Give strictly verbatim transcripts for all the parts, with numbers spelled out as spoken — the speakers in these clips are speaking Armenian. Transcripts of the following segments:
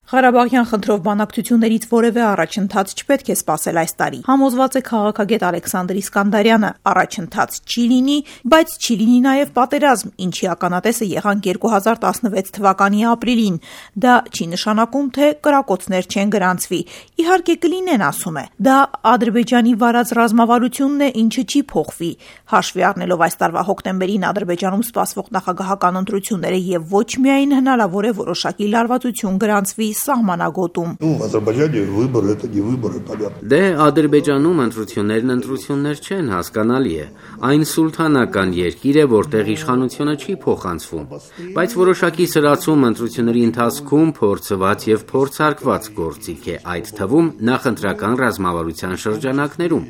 Ղարաբաղյան խնդրով բանակցություններից որևէ առաջընթաց չպետք է սպասել այս տարի։ Համոզված է քաղաքագետ Ալեքսանդր Իսկանդարյանը, առաջընթաց չի լինի, բայց չի լինի նաև պատերազմ, ինչի ականատեսը եղանք երկու հազար տասնվեց թվականի ապրիլին։ Դա չի նշանակում, թե կրակոցներ չեն գրանցվի։ Իհարկե կլինեն, ասում է։ Դա Ադրբեջանի վարած ռազմավարությունն է, ինչը չի փոխվի։ Հաշվի առնելով այս տարվա հոկտեմբերին Ադրբեջանում սպասվող նախագահական ընտրությունները եւ ոչ միայն հնարավոր է որոշակի լարվածություն գրանցվի սահմանագոտում։ Դե Ադրբեջանում ընտրություններն ընտրություններ չեն, հասկանալի է։ Այն սուլթանական երկիր է, որտեղ իշխանությունը չի փոխանցվում, բայց որոշակի սրացում ընտրությունների ընթացքում փորձված եւ փորձարկված գործիք է, այդ թվում նախընտրական ռազմավարության շրջանակներում։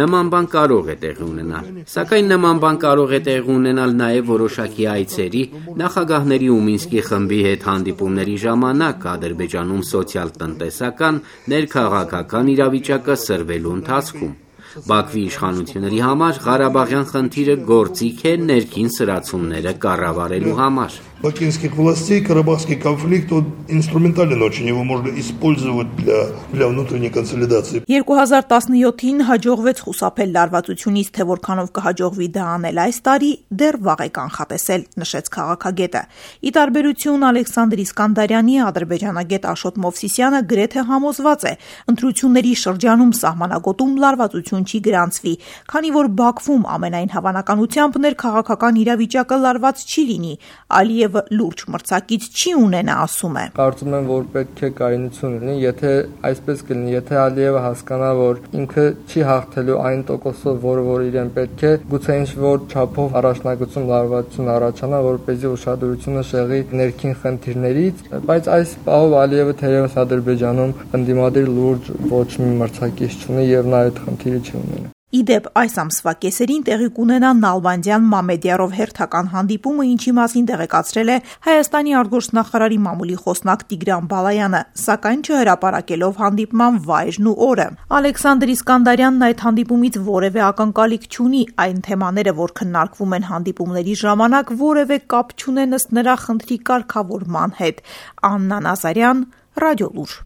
Նման բան կարող է տեղի ունենալ, սակայն նման բան կարող է տեղի ունենալ նաեւ որոշակի այցերի, նախագահների ու Մինսկի խմբի հետ հանդիպումների ժամանակ Ադրբեջանում սոցիալ-տնտեսական, ներքաղաքական իրավիճակը սրվելու ընթացքում։ Բաքվի իշխանությունների համար Ղարաբաղյան խնդիրը գործիք է ներքին սրացումները կառավարելու համար։ Бакинских властей Карабахский конфликт он инструментален очень, его можно использовать для, для внутренней консолидации. երկու հազար տասնյոթին հաջողվեց խուսափել լարվածությունից, թե որքանով կհաջողվի դա անել այս տարի, դեռ վաղ է կանխատեսել, նշեց քաղաքագետը։ Ի տարբերություն Ալեքսանդր Իսկանդարյանի, ադրբեջանագետ Աշոտ Մովսիսյանը գրեթե համոզված է, ընտրությունների շրջանում սահմանագոտում լարվածություն չի գրանցվի, քանի որ Բաքվում ամենայն հավանականությամբ ներքաղաքական իրավիճակը լարված չի լինի, Ալիևը լուրջ մրցակից չի ունենա, ասում է։ Կարծում եմ, որ պետք է կայունություն լինի, եթե այսպես կլինի, եթե Ալիևը հասկանա, որ ինքը չի հաղթելու այն տոկոսով, որը որ իրեն պետք է, գուցե ինչ-որ չափով առաջնագծում լարվածություն առաջանա, որպեսզի ուշադրությունը շեղի ներքին խնդիրներից, բայց այս պահով Ալիևը թերևս Ադրբեջանում ընդդիմադիր լուրջ ոչ մի մրցակից չունի եւ նա այդ խնդիրը չի ունենա։ Իդեպ այս ամսվա կեսերին տեղի կունենա Նալբանդյան Մամեդյարով հերթական հանդիպումը, ինչի մասին տեղեկացրել է Հայաստանի արտգործնախարարի մամուլի խոսնակ Տիգրան Բալայանը, սակայն չհրապարակելով հանդիպման վայրն ու օրը։ Ալեքսանդր Իսկանդարյանն այդ հանդիպումից որևէ ակնկալիք չունի, այն թեմաները, որ քննարկվում են հանդիպումների ժամանակ, որևէ կապ չունեն ըստ նրա խնդրի կարգավորման հետ։ Աննա Նազարյան, Ռադիոլուր։